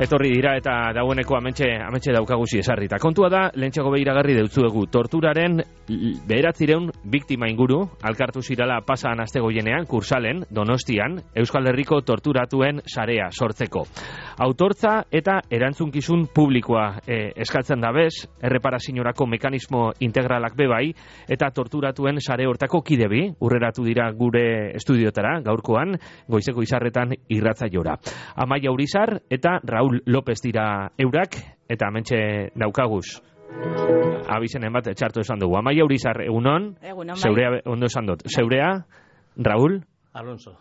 etorri dira eta dagoeneko amentxe daukaguzi esarrita. Kontua da, lehentxako behiragarri deutzuegu, torturaren 900 biktima inguru, alkartu zirala pasan astegoienean, Kursalen, Donostian, Euskal Herriko torturatuen sarea sortzeko. Autortza eta erantzunkizun publikoa eskatzen da bez, erreparaziorako mekanismo integralak bebai, eta torturatuen sare hortako kidebi, urreratu dira gure estudiotara, gaurkoan, goizeko izarretan irratzaiora. Amaia Urizar eta Raúl López dira eurak, eta hementxe daukaguz. Abizenen bat txartu esan dugu. Amaia Urizar, egunon? Egunon, bai. Zeurea, ondo esan dut. Zeurea, Raúl? Alonso,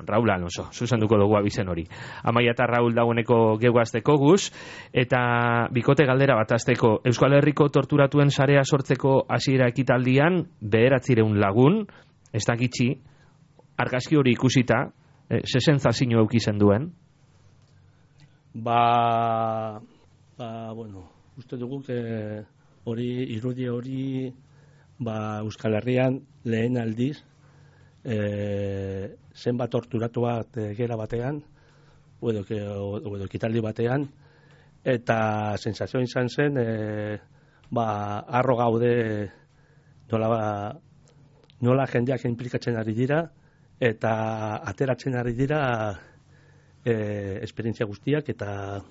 Raúl Alonso, zuzenduko dugu abizen hori. Amaia eta Raúl dagoeneko geugazteko guz, eta bikote galdera bat azteko. Euskal Herriko torturatuen sarea sortzeko hasiera ekitaldian, 900 lagun, ez da gitxi, argazki hori ikusita, sensazio eukizen duen? Bueno, uste dugu irudi hori Euskal Herrian lehen aldiz zenbat torturatu bat gera batean edo ekitaldi batean, eta sensazioa izan zen harro gaude nola jendeak inplikatzen ari dira eta ateratzen ari dira esperientzia guztiak, eta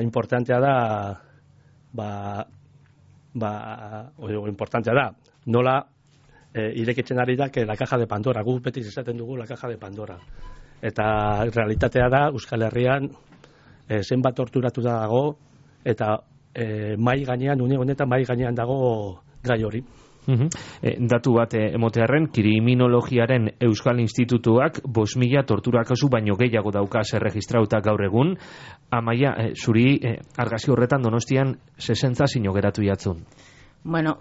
importantea da importantea da nola irekitzen ari da la caja de Pandora, guk beti esaten dugu la caja de Pandora, eta realitatea da Euskal Herrian zenbat torturatu dago, eta mai gainean, une honetan mai gainean dago gai hori. Datu bat emotearren, kriminologiaren Euskal Institutuak 5.000 tortura kasu baino gehiago daukaz erregistrauta gaur egun. Amaia, zuri argazki horretan Donostian sensazio geratu jatzun. Bueno,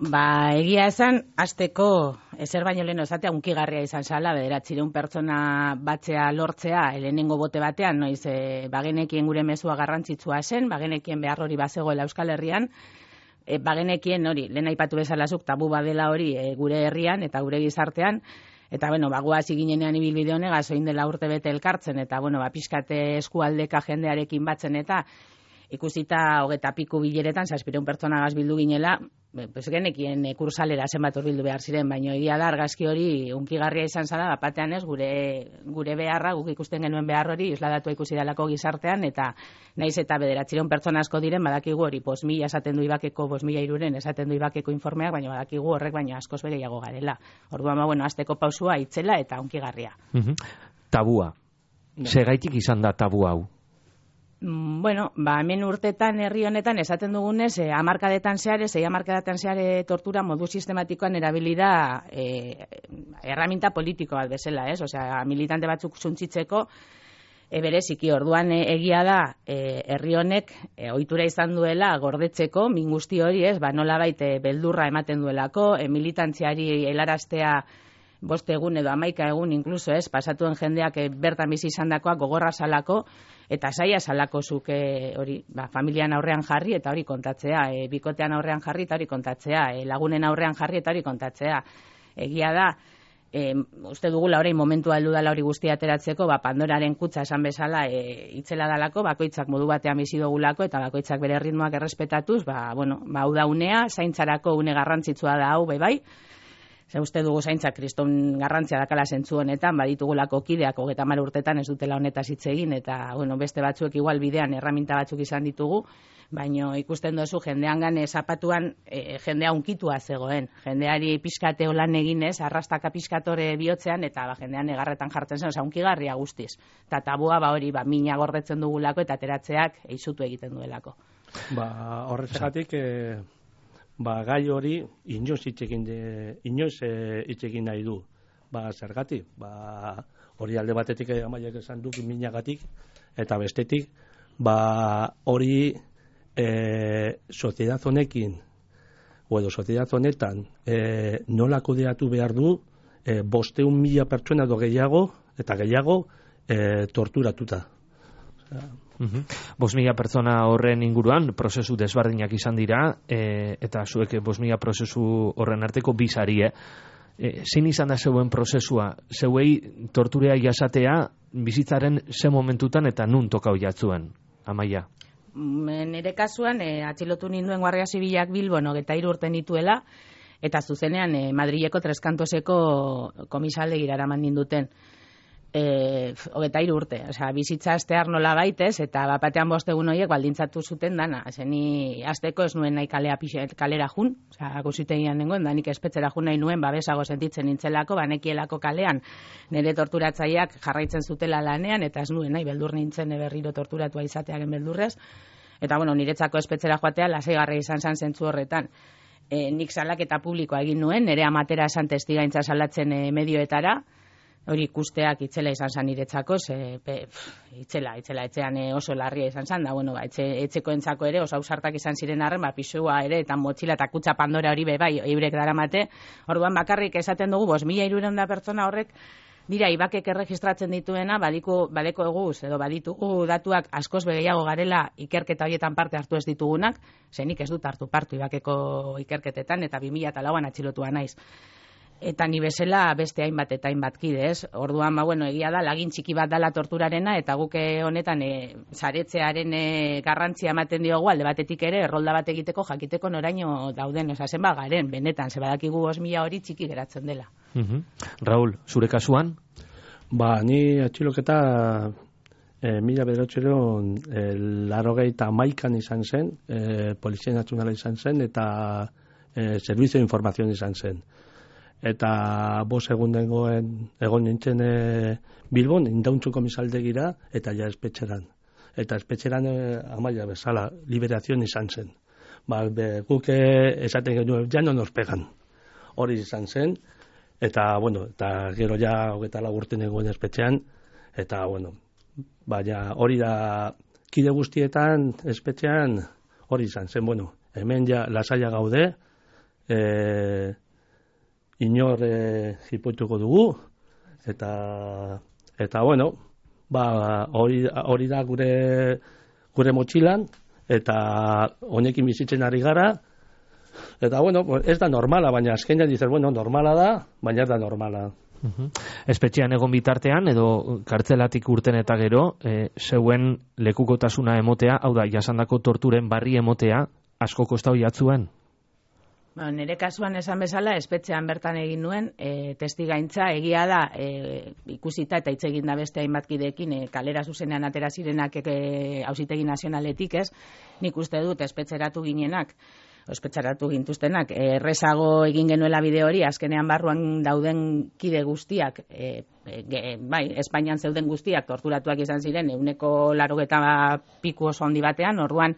egia esan, hasteko ezer baino lehen esatea unkigarria izan zala, 900 pertsona batzea lortzea, lehenengo bote batean, noiz bagenekien gure mezua garrantzitsua zen, bagenekien behar hori bazegoela Euskal Herrian, bagenekien hori, lehen aipatu bezalazuk tabu badela hori gure herrian eta gure gizartean, eta goaz ginenean ibilbide honegaz, oin dela urte bete elkartzen, eta pixkate eskualdeka jendearekin batzen, eta ikusita 20 piku bileretan, 700 pertsonagaz bildu ginela, genekien kursalera zenbat bildu behar ziren, baina egia da argazki hori unkigarria izan zara, bapatean ez, gure beharra, guk ikusten genuen behar hori, isladatua ikusi dalako gizartean, eta naiz eta 900 pertsona asko diren, badakigu hori, 5.000 esaten du Ibakeko, 5.000 esaten du Ibakeko informeak, baina badakigu horrek baina askoz bere jago garela. Orduan, azteko pausua itzela eta unkigarria. Tabua. Segaitik izan da tabu hau? Hemen urtetan herri honetan esaten dugunez, 10 hamarkadetan zehar tortura modu sistematikoan erabili da erraminta politiko bat bezala, ez? Osea, militante batzuk suntzitzeko bereziki. Orduan egia da herri honek ohitura izan duela gordetzeko min guzti hori, ez? Nolabait beldurra ematen duelako, militantziari helaraztea 5 egun edo 11 egun inkluso, ez? Pasatuen jendeak bertan bizi izandakoak gogorra salako, eta saia salako zuk hori, familian aurrean jarri eta hori kontatzea, bikotean aurrean jarri eta hori kontatzea, lagunen aurrean jarri eta hori kontatzea. Egia da, uste dugula orain momentua heldu dela hori guztia ateratzeko, Pandoraren kutxa esan bezala itzela dalako, bakoitzak modu batean bizi dugulako, eta bakoitzak bere ritmoak errespetatuz, hau da unea, zaintzarako une garrantzitsua da hau, bai. Uste dugu zaintza kriston garrantzia dakala zentzu honetan, baditugulako kideak 30 urtetan ez dutela honetaz hitz egin, eta beste batzuek igual bidean erraminta batzuk izan ditugu, baina ikusten duzu jendean zapatuan jendea unkitua zegoen, jendeari pixkate holan eginez, arrastaka pixkatore bihotzean, eta jendean egarretan jartzen zen, unkigarria guztiz. Eta tabua hori mina gordetzen dugulako eta ateratzeak eizutu egiten duelako. Horrezegatik gai hori inoiz hitz egin nahi du. Zergatik? Hori alde batetik Amaiak esan duk minagatik, eta bestetik hori soziedad honekin edo soziedad honetan nola kudeatu behar du 500.000 pertsona edo gehiago torturatuta. 5.000 pertsona horren inguruan prozesu desberdinak izan dira, eta zuek 5.000 prozesu horren arteko bi sari, zein izan da zeuen prozesua, zeuei torturea jasatea bizitzaren ze momentutan eta nun tokau jatzuen, Amaia? Nire kasuan, atxilotu ninduen Guardia Zibilak Bilbon 23 urte nituela, eta zuzenean Madrileko Treskantoseko komisaldegira eraman ninduten. 23 urte, osea, bizitza astear nola baitez, eta bapatean bostegun horiek baldintzatu zuten dana. Zeni asteko ez nuen nahi kalera jun, osea, akusitegian nengoen, da nik espetxera jun nahi nuen, babesago sentitzen nintzelako, banekielako kalean nire torturatzaileak jarraitzen zutela lanean, eta ez nuen nahi beldur nintzen berriro torturatua izatearen beldurrez. Eta bueno, niretzako espetxera joatea lasaigarria izan zen zentzu horretan. Nik salaketa publikoa egin nuen, nire amatera esan testigaintza salatzen medioetara, hori ikusteak itzela izan zen niretzako, itzela etxean oso larria izan zen, da, bueno, etxeko entzako ere oso ausartak izan ziren arren, pisua ere, eta motxila eta kutsa Pandora hori bai, eurek daramate, orduan bakarrik esaten dugu, 5.300 pertsona horrek, dira, ibakek erregistratzen dituena, badiko eguz, edo baditugu datuak askoz gehiago garela ikerketa horietan parte hartu ez ditugunak, zenik ez dut hartu partu ibakeko ikerketetan, eta 2004an atxilotua naiz. Eta ni bezala beste hainbat eta hainbat kide, ez? Orduan, bueno, egia da, lagin txiki bat dala torturarena, eta guke honetan saretzearen garrantzia ematen diogu, alde batetik ere, errolda bat egiteko, jakiteko noraino dauden, zenba garen, benetan, ze badakigu 5.000 hori txiki geratzen dela. Raúl, zure kasuan? Ni atxiloketa 1981 izan zen, Polizia Nazionala izan zen, eta Servizio de Información izan zen. Eta 5 egun egon nintzen Bilbon, Indauntzu komisaldegira, eta ja espetxeran. Eta espetxeran Amaia bezala, liberazion izan zen. Guk esaten genuen, ja no nos pegan. Hori izan zen, eta, bueno, eta gero ja 24 urte egon espetxean, eta, bueno, baina hori da kide guztietan espetxean hori izan zen, bueno, hemen ja lasaia gaude, inor jipoituko dugu, eta bueno, hori da gure motxilan, eta honekin bizitzen ari gara, eta bueno, ez da normala, baina azkenean dizer, bueno, normala da, baina ez da normala. Espetxean egon bitartean, edo kartzelatik urten eta gero, zeuen lekukotasuna emotea, hau da, jasandako torturen barri emotea, asko kostau jatzuen? Nire kasuan esan bezala, espetxean bertan egin nuen, testigaintza egia da, ikusita eta hitz egin da beste hainbatkideekin, kalera zuzenean atera zirenak Auzitegi Nazionaletik, ez? Nik uste dut espetxeratu gintuztenak, errezago egin genuela bide hori, azkenean barruan dauden kide guztiak, bai, Espainian zeuden guztiak torturatuak izan ziren, 180 piku oso handi batean, orduan,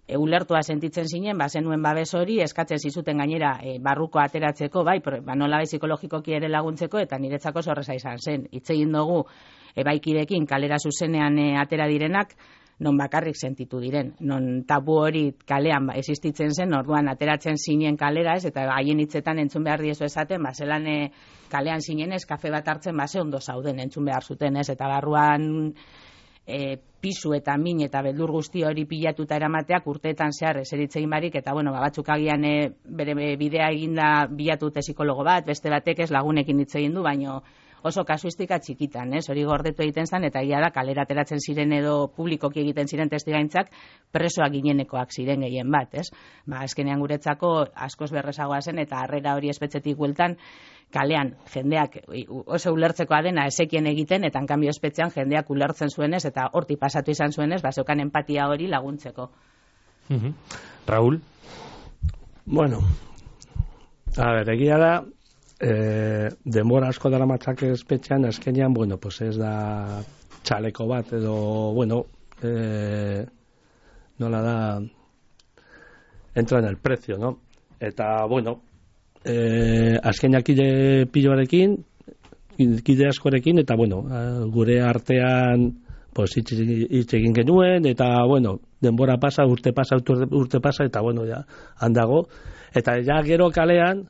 ulertua sentitzen zinen, zenuen babes hori, eskatzen zizuten gainera barruko ateratzeko, bai, nola psikologikoki ere laguntzeko, eta niretzako zorreza izan zen. Hitz egin dugu, baikidekin kalera zuzenean atera direnak, non bakarrik sentitu diren. Non tabu hori kalean existitzen zen, orduan ateratzen zinen kalera, ez, eta haien hitzetan entzun behar diezu esaten, zelan kalean zinen ez, kafe bat hartzen, ze ondo zauden entzun behar zuten, ez, eta barruan pisu eta min eta beldur guzti hori pilatuta eramateak urteetan zehar eseritzegin barik, eta bueno, batzuk agian bere bidea eginda bilatute psikologo bat, beste batek ez lagunekin hitz egin du, baino oso kasuistika txikitan, hori gordetu egiten zen, eta egia da kalera ateratzen ziren edo publikoki egiten ziren testigaintzak presoak ginenekoak ziren gehien bat, ez? Azkenean guretzako askoz berrezagoa zen, eta harrera hori espetxetik bueltan, kalean jendeak oso ulertzekoa dena esekien egiten, eta enkanbio espetxean jendeak ulertzen zuenez, eta horti pasatu izan zuenez, zeukan empatia hori laguntzeko. Raúl? Bueno, a ver, egia da, denbora asko dara matzak espetxean, azkenean, bueno, pues ez da txaleko bat, edo, bueno, nola da, entra en el precio, no? Eta, bueno, azkenean kide piloarekin, kide askorekin, eta, bueno, gure artean, pues, hitz egin genuen, eta, bueno, denbora pasa, urte pasa, eta, bueno, ja, handago, eta ja gero kalean,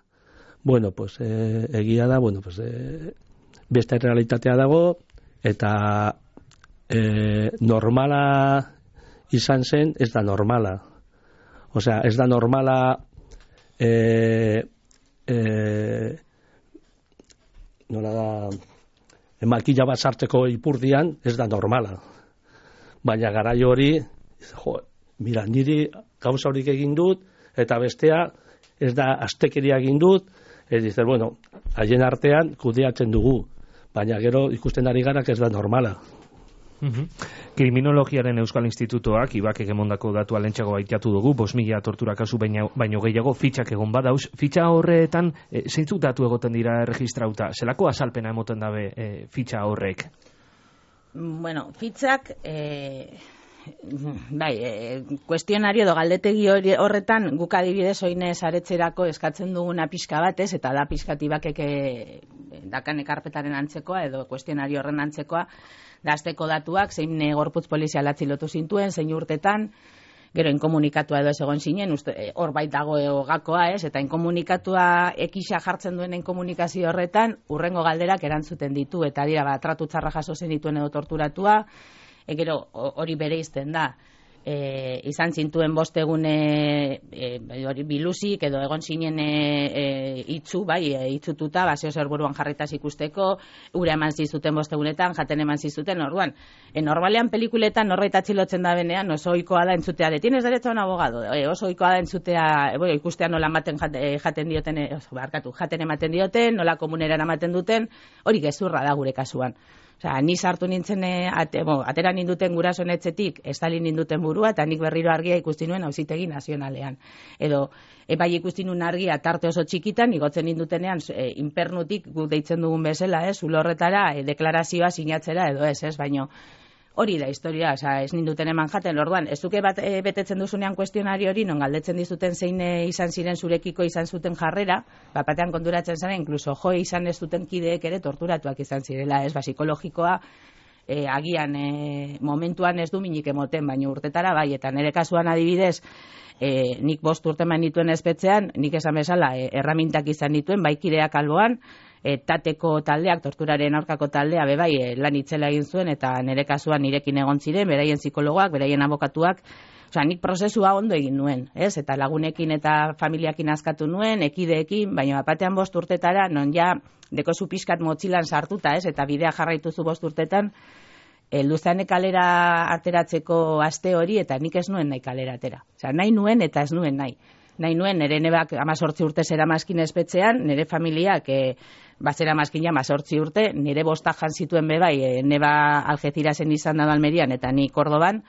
bueno, pues, egia da, bueno, pues, beste realitatea dago, eta normala izan zen, ez da normala. Osea, ez da normala nola da, makila bat sartzeko ipurdian, ez da normala. Baina garai hori, mira, niri gauza horik egin dut, eta bestea, ez da astekeria egin dut, dizer, bueno, haien artean kudeatzen dugu, baina gero ikusten ari gara, ez da normala. Kriminologiaren Euskal Institutoak ibakek emondako datua lentsago baitatu dugu, 5.000 tortura kasu baino gehiago fitxak egon badauz. Fitxa horretan, zeintzuk datu egoten dira erregistrauta? Zelako azalpena emoten dabe fitxa horrek? Bueno, fitxak, kuestionario edo galdetegi horretan guk adibidez oinez aretzerako eskatzen duguna pixka batez, eta da pixkatibakek dakan ekarpetaren antzekoa edo kuestionario horren antzekoa, dazteko datuak, zein gorputz polizial atzilotu zintuen, zein urtetan, gero inkomunikatua edo ez egon zinen, hor bait dago gakoa, eta inkomunikatua ekisa jartzen duen inkomunikazio horretan, urrengo galderak erantzuten ditu, eta dira, tratu txarra jaso zen dituen edo torturatua, gero hori bereizten da, izan zintuen 5 egune biluzik edo egon zinen itzu, itzututa, baseo zerburuan jarritaz ikusteko, ura eman zizuten 5 egunetan, jaten eman zizuten, orduan. Normalean pelikuletan norbait atxilotzen da benean, oso ohikoa da entzutea, de tienes derecho a un abogado, oso ohikoa da entzutea, ikustea nola jaten dioten, jaten ematen dioten, nola komuneran ematen duten, hori gezurra da gure kasuan. Osea, ni sartu nintzen, atera ninduten gurasoen etxetik, estali ninduten burua, eta nik berriro argia ikusti nuen Auzitegi Nazionalean. Edo, bai ikusti nuen argia tarte oso txikitan, igotzen nindutenean, inpernutik guk deitzen dugun bezala, zulo horretara, deklarazioa sinatzera edo ez, baino, hori da historia, ez ninduten eman jaten, orduan, ez duke bat betetzen duzunean kuestionario hori, non galdetzen dizuten zein izan ziren zurekiko izan zuten jarrera, batean konturatzen zara, inkluso izan ez duten kideek ere torturatuak izan zirela, psikologikoa, agian momentuan ez du minik emoten, baina urtetara bai, eta nire kasuan adibidez, nik 5 urte manituen espetzean, nik esan bezala, erramintak izan dituen, bai kideak alboan, tateko taldeak, torturaren aurkako taldea, bebai, lan itzela egin zuen, eta nire kasuan nirekin egon ziren, beraien psikologoak, beraien abokatuak, osea, nik prozesua ondo egin nuen, eta lagunekin eta familiakin askatu nuen, ekideekin, baina batean 5 urtetara, non ja, dekozu pixkat motxilan sartuta, eta bidea jarraituzu 5 urtetan, luzane kalera ateratzeko aste hori, eta nik ez nuen nahi kalera atera. Osea, nahi nuen eta ez nuen nahi. Nahi nuen, nire nebak 18 urte zera mazkin espetzean, nire familiak bazera mazkin 18 urte, nire 5 jan zituen bebai, neba Algecirasen izan da Almerian eta ni Kordoban,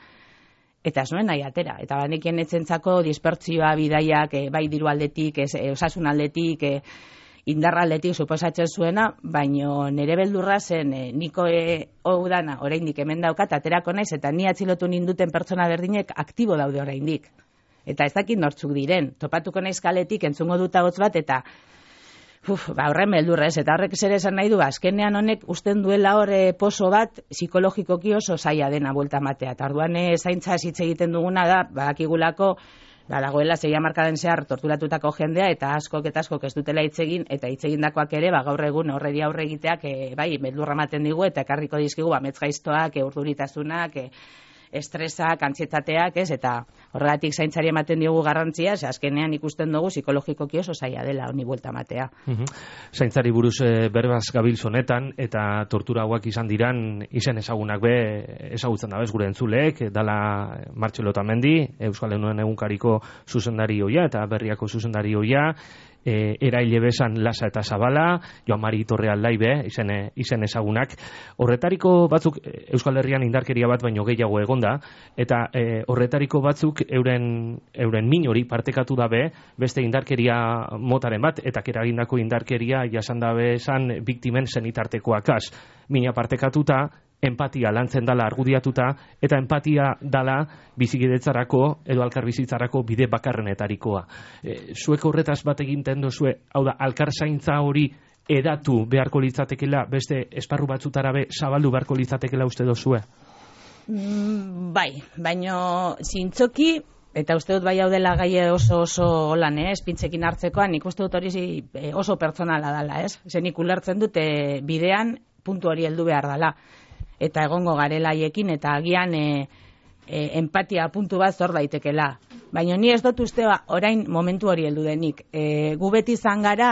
eta ez nuen nahi atera. Eta banekien etzentzako dispertzioa bidaiak, bai diru aldetik, osasun aldetik, indarra aldetik suposatzen zuena, baino nire beldurra zen niko dana oraindik hemen daukat, aterako naiz, eta ni atxilotu ninduten pertsona berdinek aktibo daude oraindik. Eta ez dakit nortzuk diren, topatuko naiz kaletik, entzungo dut ahots bat, eta horren beldurra eta horrek zer esan nahi du, azkenean honek usten duela hor poso bat, psikologikoki oso zaila dena buelta matea, eta orduan zaintza hitz egiten duguna da, badakigulako, dagoela 6 hamarkaden zehar torturatutako jendea, eta askok ez dutela hitz egin, eta hitz egindakoak ere, gaur egun horreri aurre egiteak, bai, beldurra ematen digu, eta ekarriko dizkigu, amets gaiztoak, urduritasunak, estresak, antsietateak, eta horregatik zaintzari ematen diogu garrantzia, azkenean ikusten dugu psikologikoki oso zaila dela honi buelta matea. Zaintzari buruz berbaz gabiltz honetan, eta tortura hauak izan diran, izen ezagunak ezagutzen dabez gure entzuleek, dala Martxelo Otamendi, Euskal Herrian egunkariko zuzendari hoia, eta berriako zuzendari hoia, eraile bezan Lasa eta Zabala, Joan Mari Torre Aldaibe, izen ezagunak. Horretariko batzuk Euskal Herrian indarkeria bat baino gehiago egonda, eta horretariko batzuk euren min hori partekatu dabe, beste indarkeria motaren bat, eta keragindako indarkeria jasan dabe esan biktimen zenitartekoak az. Mina partekatuta, empatia lantzen dala argudiatuta, eta empatia dala bizikidetzarako edo alkarbizitzarako bide bakarrenetarikoa. Zuek horretaz bat eginten duzue, hau da, alkarzaintza hori edatu beharko litzatekela, beste esparru batzutara zabaldu beharko litzatekela uste dozue? Bai, baino zintzoki, eta uste dut bai hau dela gai oso holan, espintzekin hartzekoan, nik uste dut hori oso pertsonala dala, Zenik ulertzen dute bidean puntu hori heldu behar dala. Eta egongo garela haiekin, eta agian empatia puntu bat zor daitekela. Baina ni ez dut uste orain momentu hori heldu denik. Gu beti izan gara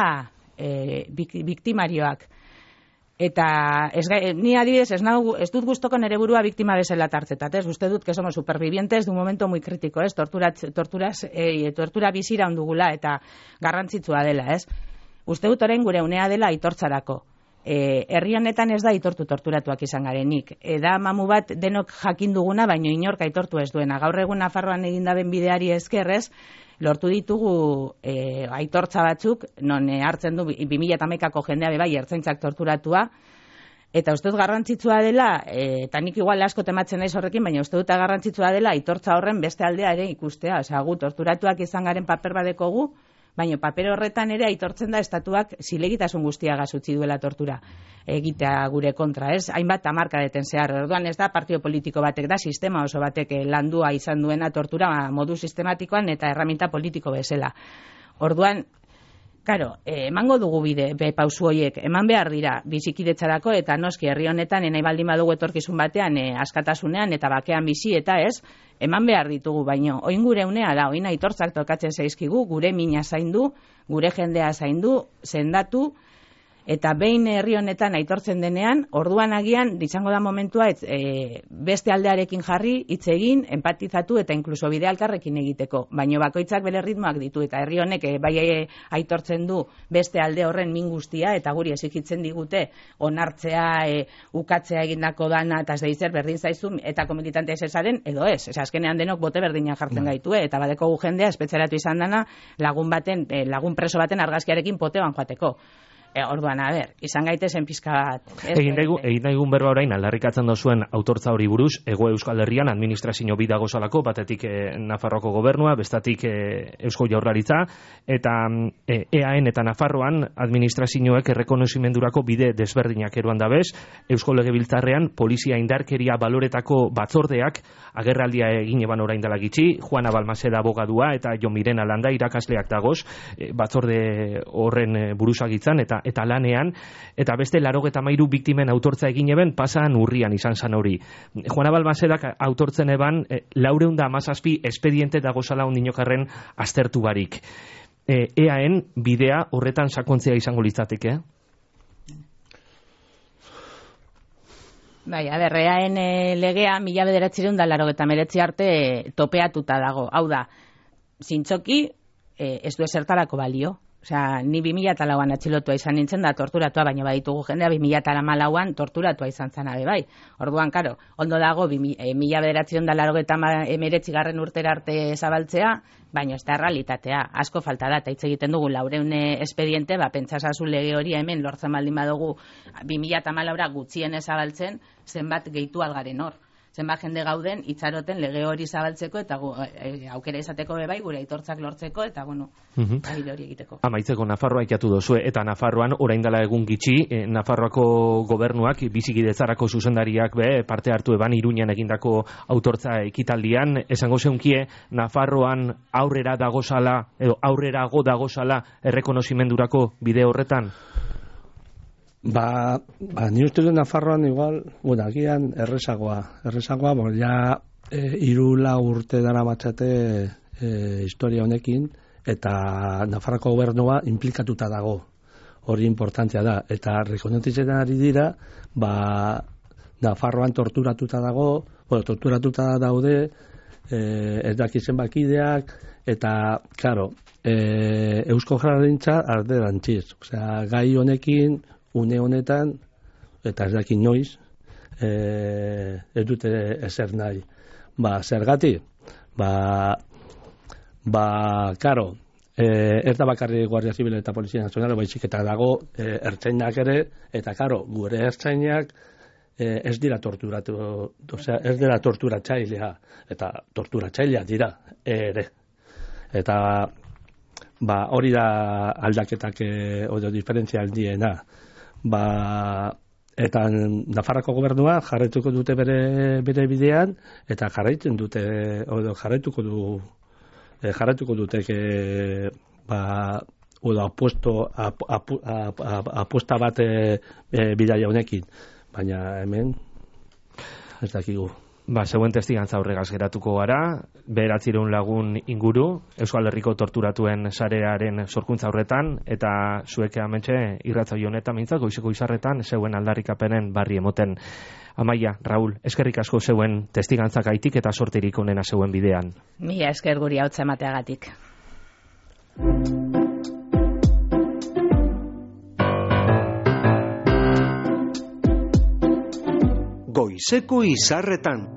biktimarioak. Eta ni adibidez ez dut gustoko nere burua biktima bezala tartzetat, uste dut que somos supervivientes de un momento muy crítico, tortura bizira ondugula eta garrantzitsua dela, Uste dut orain gure unea dela aitortzarako. Herri honetan ez da aitortu torturatuak izan garenik. Da mamu bat denok jakin duguna, baino inork aitortu ez duena. Gaur egun Nafarroan egindaben bideari eskerrez, lortu ditugu aitortza batzuk, non hartzen du 2011ko jendea bai ertzaintzak torturatua, eta uste dut garrantzitsua dela, eta nik igual asko tematzen naiz horrekin, baina uste dut garrantzitsua dela aitortza horren beste aldea ere ikustea. Osea, gu torturatuak izan garen paper badekogu, baina paper horretan ere aitortzen da estatuak zilegitasun guztiagaz utzi duela tortura egitea gure kontra, hainbat hamarkadeten zehar. Orduan ez da partio politiko batek, da sistema oso batek landua izan duena tortura modu sistematikoan eta erraminta politiko bezala. Orduan, karo, emango dugu bide, pausu horiek, eman behar dira bizikidetzarako eta noski herri honetan nahi baldin badugu etorkizun batean askatasunean eta bakean bizi eta eman behar ditugu, baino oin gure unea da, oin aitortzak tokatzen zaizkigu, gure mina zaindu, gure jendea zaindu, sendatu, eta behin herri honetan aitortzen denean, orduan agian izango da momentua beste aldearekin jarri, hitz egin, empatizatu eta inkluso bide elkarrekin egiteko. Baino bakoitzak bere ritmoak ditu eta herri honek bai aitortzen du beste alde horren min guztia eta guri exigitzen digute onartzea, ukatzea egindako dana eta zeizer berdin zaizun eta komilitantea esaren edo ez. Azkenean denok bote berdina jartzen gaitu eta badeko gu jendea espetzeratu izan dana lagun preso baten argazkiarekin poteban joateko. Orduan, izan gaitezen pizka bat. Egin daigun berba orain, aldarrikatzen dozuen autortza hori buruz, Hego Euskal Herrian administrazio bi dagozalako, batetik Nafarroako gobernua, bestatik Eusko Jaurlaritza, eta EAN eta Nafarroan administrazioek errekonozimendurako bide desberdinak eruan dabez, Eusko Legebiltzarrean polizia indarkeria baloretako batzordeak agerraldia egin eban orain dela gitxi, Juana Balmaseda abogadua eta Jon Mirena Landa irakasleak dagoz, batzorde horren buruzagitzan eta lanean, eta beste 93 biktimen autortza egin eben pasan urrian izan zan hori. Juana Balmasedak autortzen eban 417 espediente dagozala ondinokarren aztertu barik. EAN bidea horretan sakontzea izango litzateke? Bai, EAN legea 1989 arte topeatuta dago. Hau da, zintzoki ez du esertarako balio. Osea, ni 2004an atxilotua izan nintzen da torturatua, baina baditugu jendea 2014an torturatua izan zana bai. Orduan, karo, ondo dago 1989 urtera arte zabaltzea, baina ez da realitatea. Asko falta da, eta hitz egiten dugu 400 espediente, pentsasazu lege hori hemen lortzen baldin badugu 2014 gutxien zabaltzen, zenbat gehitu algaren hor. Zenbat jende gauden itxaroten lege hori zabaltzeko eta aukera izateko bai gure aitortzak lortzeko eta bide hori egiteko. Amaitzeko Nafarroa ikatu dozue eta Nafarroan orain dela egun gitxi Nafarroako gobernuak bizikidetzarako zuzendariak parte hartu eban Iruñan egindako autortza ekitaldian, esango zeunkie Nafarroan aurrerago dagozala errekonozimendurako bide horretan? Ni uste du Nafarroan igual, agian errezagoa, ja 3-4 urte dara matxate historia honekin, eta Nafarroako gobernua implikatuta dago, hori importantzia da, eta rekonotitzen ari dira, Nafarroan torturatuta daude, ez dakizen bakideak, eta, klaro, Eusko Jaurlaritza arderantziz, gai honekin, une honetan, eta ez dakit noiz, ez dute ezer nahi. Zergati? Karo, ez da bakarri Guardia Zibil eta Polizia Nazionala, baizik eta dago ertzainak ere, eta karo, gure ertzainak ez dira torturatu, ez dira torturatzailea, eta torturatzailea dira ere. Eta hori da aldaketak edo diferentzia aldiena. Eta Nafarroako gobernua jarraituko dute bere bidean eta jarraitzen dute jarraituko dute apuesta bat bidaia honekin, baina hemen ez dakigu. Zeuen testigantza horregaz geratuko gara, 900 lagun inguru, Euskal Herriko torturatuen sarearen sorkuntza horretan, eta zuek hementxe irratsaio honetan mintzat, goizeko izarretan, zeuen aldarrikapenen barri emoten. Amaia, Raul, eskerrik asko zeuen testigantzakaitik eta sorterik onena zeuen bidean. Mila esker guri hautza emateagatik. Goizeko izarretan.